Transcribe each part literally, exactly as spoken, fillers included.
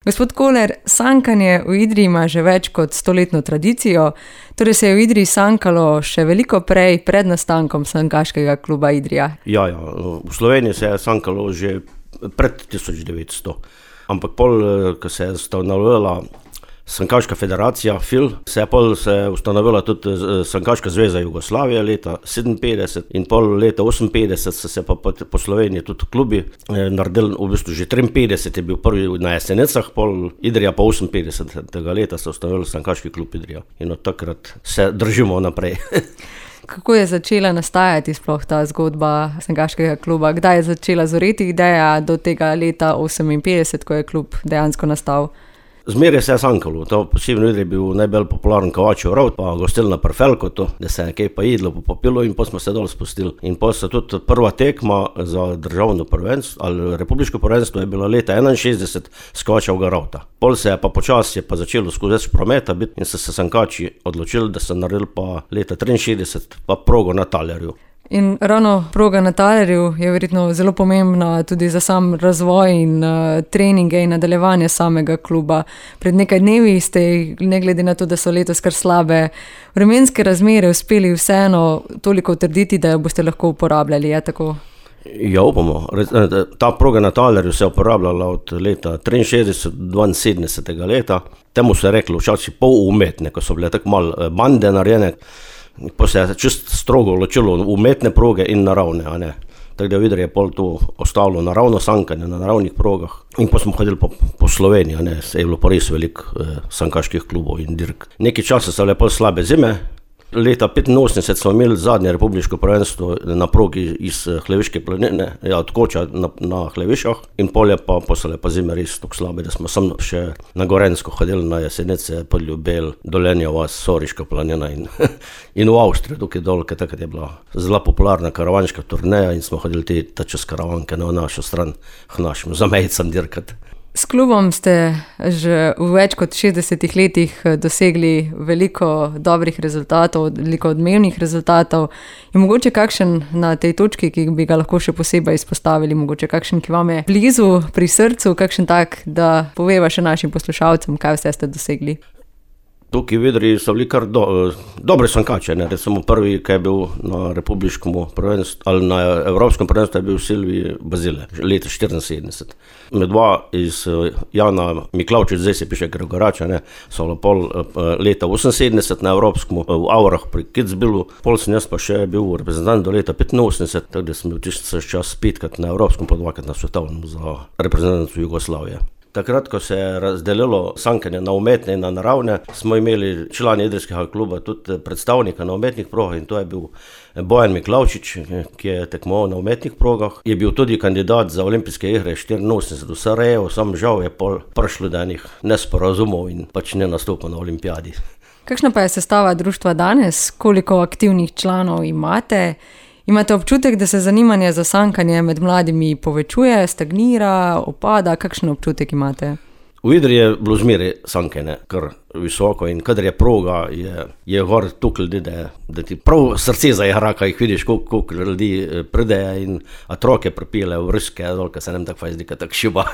Gospod Koler, sankanje v Idriji ima že več kot stoletno tradicijo, torej se je v Idriji sankalo še veliko prej, pred nastankom sankaškega kluba Idrija. Ja, ja, v Sloveniji se je sankalo že pred tisoč devetsto, ampak pol, ko se je ustanovila Sankaška federacija, F I L, se je pol se je ustanovila tudi Sankaška zveza Jugoslavije leta sedeminpetdeset in pol leta oseminpetdeset so se pa po Sloveniji tudi klubi naredili, v bistvu že triinpetdeset je bil prvi na Jesenicah, pol Idrija pa oseminpetdesetega leta so ustanovili Sankaški klub Idrija in od takrat se držimo naprej. Kako je začela nastajati sploh ta zgodba Sankaškega kluba? Kdaj je začela zoreti ideja do tega leta oseminpetdeset, ko je klub dejansko nastal? Zmeraj se je sankalo, to posebno je bil najbolj popularen Kovačev rovt, pa gostilna pri Felkotu, da se je kaj pa jedlo, pa popilo in pa smo se dol spustili. In pa so tudi prva tekma za državno prvenstvo ali republiško prvenstvo je bila leta enainšestdeset s Kovačevega rovta. Pol se je pa počasi je pa začelo skozi več prometa biti in so se sankači odločili, da so naredili pa leta triinšestdeset pa progo na Talerju. In ravno proga na Talerju je verjetno zelo pomembna tudi za sam razvoj in uh, treninge in nadaljevanje samega kluba. Pred nekaj dnevi ste, ne glede na to, da so letos kar slabe vremenske razmere, uspeli vseeno toliko utrditi, da jo boste lahko uporabljali, je tako? Ja, upamo. Ta proga na Talerju se je uporabljala od leta triinšestdeset do dvainsedemdesetega leta. Temu se je reklo včasih pol umetne, ko so bile tako malo bande narejene. Pa se je čist strogo ločilo umetne proge in naravne, a ne. Tako da v Idriji je pol to ostalo naravno sankanje na naravnih progah. In pa smo hodili po, po Sloveniji, a ne, se je bilo pa res veliko eh, sankaških klubov in dirk. Nekaj časa so bile pol slabe zime. Leta petinosemdeset smo imeli zadnje republiško prvenstvo na progi iz Hleviške planine, ja, od Koča na, na Hlevišah in pol je pa posle pa zime res tako slabe, da smo sam še na Gorenjsko hodili na Jesenice, Podljubelj, Dolenja vas, Soriška planina in, in v Avstriji, tukaj dol, ker takrat je bila zelo popularna karavanška turneja in smo hodili te ta čez karavanke na našo stran k našim zamejcam dirkati. S klubom ste že v več kot šestdesetih letih dosegli veliko dobrih rezultatov, veliko odmevnih rezultatov. Je mogoče kakšen na tej točki, ki bi ga lahko še posebej izpostavili, mogoče kakšen, ki vam je blizu, pri srcu, kakšen tak, da poveva še našim poslušalcem, kaj vse ste dosegli? Tukaj v Idriji so bili kar do, dobre sankače, ne, recimo prvi, ki je bil na republiškem prvenstvu, ali na evropskem prvenstvu je bil Silvij Bazile, leta štiriinsedemdeset. Med dva iz Jana Miklavčič, zdaj se piše Gregorača, ne, so pol leta oseminsedemdeset na evropskem, v Aurah pri Kitzbühelu, pol sem jaz pa še bil reprezentant do leta petinosemdeset, tako da sem bil tisti čas petkrat na evropskem, pa dvakrat na svetovnem za reprezentancu Jugoslavije. Takrat, ko se je razdelilo sankanje na umetne in na naravne, smo imeli člani idrijskega kluba tudi predstavnika na umetnih progah in to je bil Bojan Miklavčič, ki je tekmoval na umetnih progah. Je bil tudi kandidat za olimpijske igre štiriinosemdeset v Sarajevu, sam žal je pol prišlo do enih nesporazumov in pač ne nastopil na olimpijadi. Kakšna pa je sestava društva danes? Koliko aktivnih članov imate? Imate občutek, da se zanimanje za sankanje med mladimi povečuje, stagnira, opada? Kakšen občutek imate? V Idriji je bilo zmeraj sankanje kar visoko in kadar je proga, je, je gor toliko ljudi, da, da ti prav srce zaigra, ko jih vidiš, koliko, koliko ljudi pridejo in otroke pripelje v Ruske, dol, ko se nam tako zdi, tako šiba.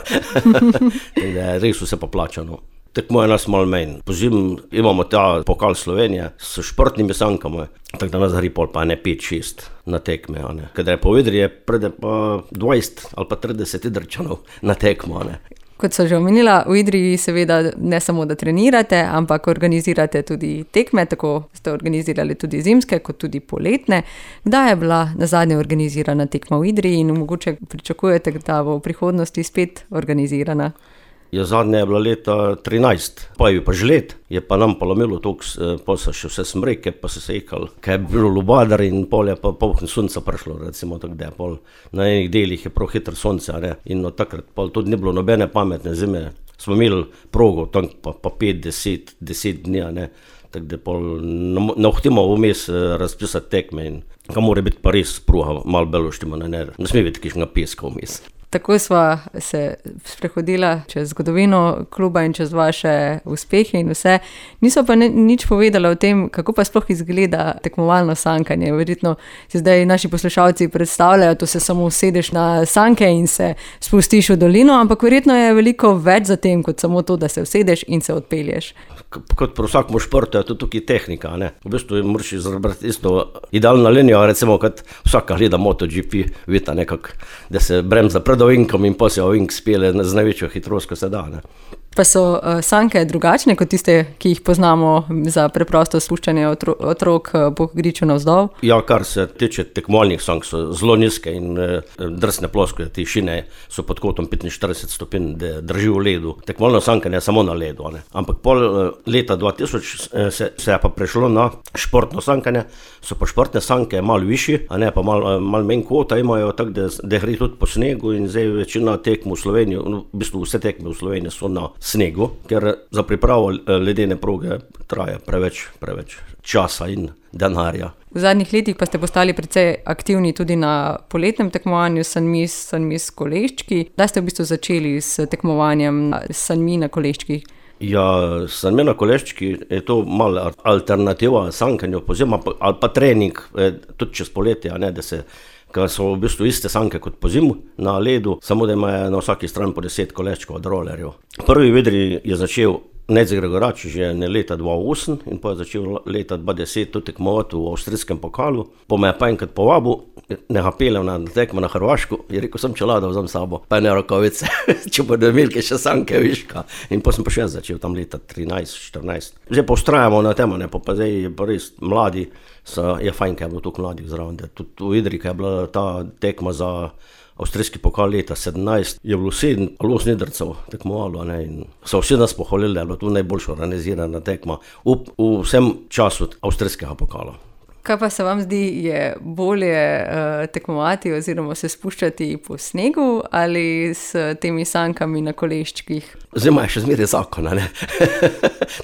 Res vse poplačano. Tekmo je nas malo menj. Pozim imamo ta pokal Slovenije s športnimi sankami, tako da nas gre pol pa ne pet šest na tekme. Kadar je po Idriji, pride pa dvajset ali pa trideset Idrijčanov na tekmo. Ne. Kot so že omenila, v Idriji seveda ne samo, da trenirate, ampak organizirate tudi tekme, tako ste organizirali tudi zimske, kot tudi poletne. Kdaj je bila nazadnje organizirana tekma v Idriji in mogoče pričakujete, da bo v prihodnosti spet organizirana? Ja, zadnje je bila leta trinajst, pa je bil pa žled, je pa nam polomilo toliko, pol so še vse smreke, pa so se ekali, kaj je bilo lubadar in pol je pa polkne sonca prišlo, recimo tako, da je pol na enih delih je prav hitro sonce, ne, in od takrat pol tudi ni bilo nobene pametne zime, smo imeli progo, tam pa, pa pet, deset, deset dni, ne, tako da pol ne hohtimo vmes razpisati tekme in ka mora biti pa res pruha malo beloštima, ne, ne, ne sme biti kakšnega peska vmes. Tako sva se sprehodila čez zgodovino kluba in čez vaše uspehe in vse. Nisva pa ne, nič povedala o tem, kako pa sploh izgleda tekmovalno sankanje. Verjetno si zdaj naši poslušalci predstavljajo, to se samo usedeš na sanke in se spustiš v dolino, ampak verjetno je veliko več za tem, kot samo to, da se usedeš in se odpelješ. Kot pri vsakem športu je to tukaj tehnika, ne. V bistvu moraš izbrati isto idealno linijo, recimo kot vsaka gleda MotoGP, vita nekako, da se bremza pred ovinkom in potem se ovink spele z največjo hitrost, ko se da, ne. Pa so uh, sanke drugačne kot tiste, ki jih poznamo za preprosto spuščanje otro, otrok uh, po griču navzdol? Ja, kar se tiče tekmovalnih sank, so zelo nizke in uh, drsne ploskve, ti šine so pod kotom petinštirideset stopinj, da drži v ledu. Tekmovalno sankanje je samo na ledu, ne. Ampak pol uh, leta dva tisoč uh, se, se je pa prešlo na športno sankanje, so pa športne sanke malo višji, a ne pa malo mal menj kota imajo, tako da, da gre tudi po snegu in zdaj večina tekm v Sloveniji, v bistvu vse tekme v Sloveniji so na snegu, ker za pripravo ledene proge traja preveč, preveč časa in denarja. V zadnjih letih pa ste postali precej aktivni tudi na poletnem tekmovanju Sanmis, Sanmis Koleščki. Da ste v bistvu začeli s tekmovanjem Sanmi na Koleščkih? Ja, Sanmi na Koleščki je to malo alternativa sankanju, pozima, ali pa trening, tudi čez poletje, a ne, da se ker so v bistvu iste sanke kot po zimu na ledu, samo da imajo na vsaki strani po deset koleščkov od rolerjev. Prvi vedri je začel Nejc Gregorač že ne leta dva osem in pa je začel leta dva deset tudi tekmovati v avstrijskem pokalu. Po me je pa enkrat povabil, neha pelem na tekmo na Hrvašku, je rekel, sem čelada vzem sabo, pa ne rokavice, če bodo imeli še sanke viška. In pa sem pa še začel tam leta trinajst štirinajst. Zdaj pa ustrajamo na tem, ne, pa, pa zdaj je pa res mladi, so, je fajn, kaj je bilo toliko mladih zraven, da tudi v Idri, kaj je bila ta tekma za avstrijski pokal leta sedemnajst, je bilo sedem ali osem Idrcev tekmovalo, ne, in so vsi nas pohvalili, da je bilo to najboljša organizirana tekma v, v vsem času avstrijskega pokala. Kaj pa se vam zdi, je bolje uh, tekmovati oziroma se spuščati po snegu ali s temi sankami na Koleščkih? Zima je še zmeraj zakona, ne.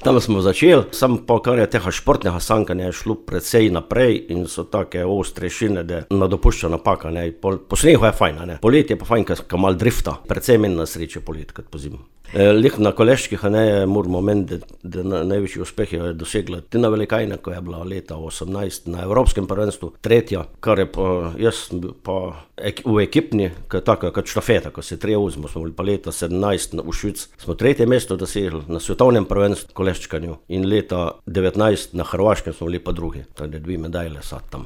Tam smo začeli, sam pa kar je tega športnega sankanja je šlo precej naprej in so take ostre šine, da nadopušča napaka, ne. Po, po snegu je fajn, ne. Poletje je pa fajn, ka mal drifta, precej menj na sreče polet kot po zimu. E, lih na Koleščkih, ne, moramo meniti, da, da največji uspeh je dosegla Tina Velikajna, ko je bila leta osemnajst na Evropskem prvenstvu, tretja, kar je pa, jaz pa ek, v ekipni, kot taka, kot štafeta, ko se treje uzmo, smo bili pa leta sedemnajst v Švic, smo tretje mesto dosegli na svetovnem prvenstvu koleščkanju in leta devetnajst na Hrvaškem smo bili pa drugi, tako da dve medalje sad tam.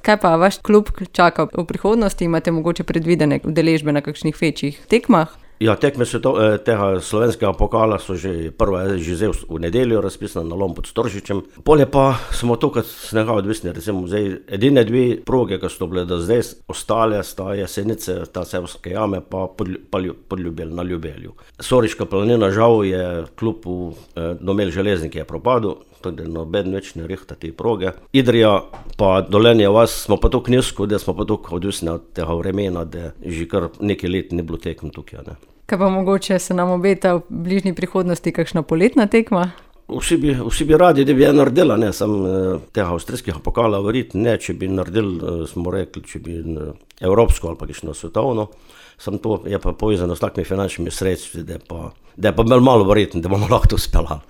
Kaj pa vaš klub čaka v prihodnosti, imate mogoče predvidene udeležbe na kakšnih večjih tekmah? Ja, tekme sveto, tega slovenskega pokala so že prva je že zdaj v nedeljo razpisana na Lom pod Storžičem. Polje pa smo to, kot snega odvisni, recimo zdaj edine dve proge, ki so bile do zdaj, ostale sta Jesenice, ta Sevske jame pa Podljubelj na Ljubelju. Soriška planina žal je klub v eh, Domel Železniki je propadel, tako da noben več ne rihta te proge. Idrija pa Dolenje vas smo pa tako nizko, da smo pa tako odvisni od tega vremena, da že kar nekaj let ne bilo tekem tukaj, ne. Kaj pa mogoče se nam obeta v bližnji prihodnosti kakšna poletna tekma? Vsi bi, vsi bi radi, da bi je naredila, ne, sam tega avstrijskega pokala verjetno ne, če bi naredili, smo rekli, če bi evropsko ali pa kakšno svetovno, sam to je pa povezano s takimi finančnimi sredstvi, da je pa, da je pa malo verjetno, da bomo lahko to uspela.